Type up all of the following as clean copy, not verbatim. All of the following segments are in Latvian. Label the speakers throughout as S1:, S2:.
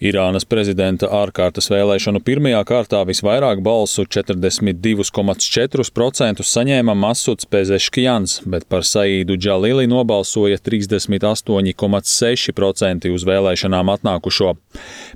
S1: Irānas prezidenta ārkārtas vēlēšanu pirmajā kārtā visvairāk balsu 42,4% saņēma Masuds Pezeškjans, bet par Saīdu Džalili nobalsoja 38,6% uz vēlēšanām atnākušo.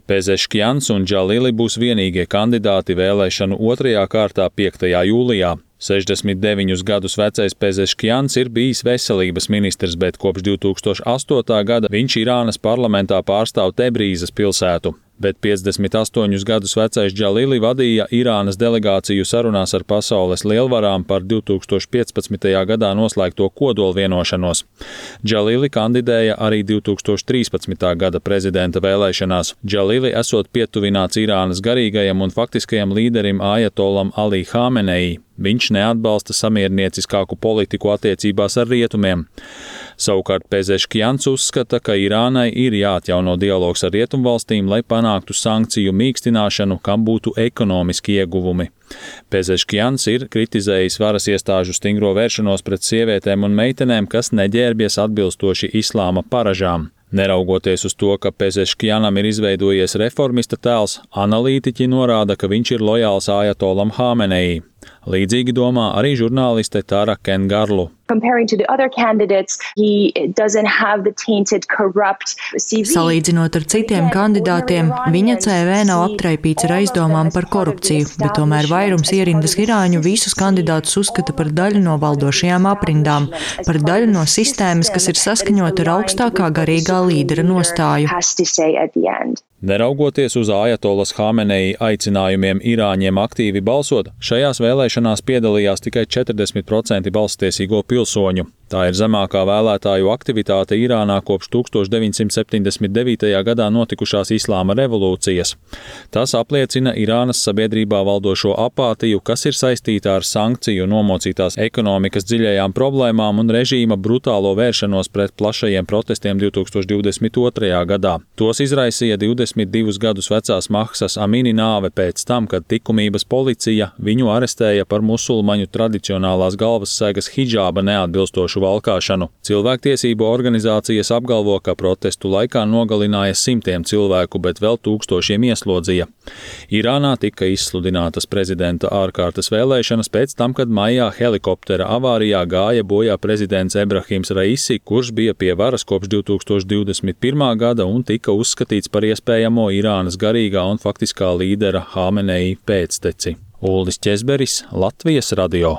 S1: Pezeškjans un Džalili būs vienīgie kandidāti vēlēšanu otrajā kārtā 5. jūlijā. 69 gadus vecais Pezeškjans ir bijis veselības ministrs, bet kopš 2008. gada viņš Irānas parlamentā pārstāv Tebrīzes pilsētu. Bet 58 gadus vecais Džalili vadīja Irānas delegāciju sarunās ar pasaules lielvarām par 2015. gadā noslēgto kodolvienošanos. Džalili kandidēja arī 2013. gada prezidenta vēlēšanās. Džalili esot pietuvināts Irānas garīgajam un faktiskajam līderim Ajatolam Ali Hamenei. Viņš neatbalsta samiernieciskāku politiku attiecībās ar rietumiem. Savukārt Pezeškjans uzskata, ka Irānai ir jāatjauno dialogs ar rietumvalstīm, lai panāktu sankciju mīkstināšanu, kam būtu ekonomiski ieguvumi. Pezeškjans ir kritizējis varas iestāžu stingro vēršanos pret sievietēm un meitenēm, kas neģērbies atbilstoši islāma paražām. Neraugoties uz to, ka Pezeškjanam ir izveidojies reformista tēls, analītiķi norāda, ka viņš ir lojāls Ajatolam Hamenei. Līdzīgi domā arī žurnāliste Tara Kengarlu.
S2: Salīdzinot ar citiem kandidātiem, viņa CV nav aptraipīts ar aizdomām par korupciju, bet tomēr vairums ierindas irāņu visus kandidātus uzskata par daļu no valdošajām aprindām, par daļu no sistēmas, kas ir saskaņota ar augstākā garīgā līdera nostāju.
S1: Neraugoties uz Ajatolas Hamenei aicinājumiem irāņiem aktīvi balsot, šajās vēlēšanās piedalījās tikai 40% balsstiesīgo pilsoņu. Tā ir zemākā vēlētāju aktivitāte Irānā kopš 1979. gadā notikušās islāma revolūcijas. Tas apliecina Irānas sabiedrībā valdošo apātiju, kas ir saistīta ar sankciju nomocītās ekonomikas dziļajām problēmām un režīma brutālo vēršanos pret plašajiem protestiem 2022. gadā. Tos izraisīja 22 gadus vecās Mahsas Amini nāve pēc tam, kad likumības policija viņu arestēja par musulmaņu tradicionālās galvassēgas hidžāba neatbilstošu valkāšanu. Cilvēktiesību organizācijas apgalvo, ka protestu laikā nogalināja simtiem cilvēku, bet vēl tūkstošiem ieslodzīja. Irānā tika izsludinātas prezidenta ārkārtas vēlēšanas pēc tam, kad maijā helikoptera avārijā gāja bojā prezidents Ebrahims Raisi, kurš bija pie varas kopš 2021. gada un tika uzskatīts par iespējamo Irānas garīgā un faktiskā līdera Hamenei pēcteci. Uldis Ķezberis, Latvijas radio.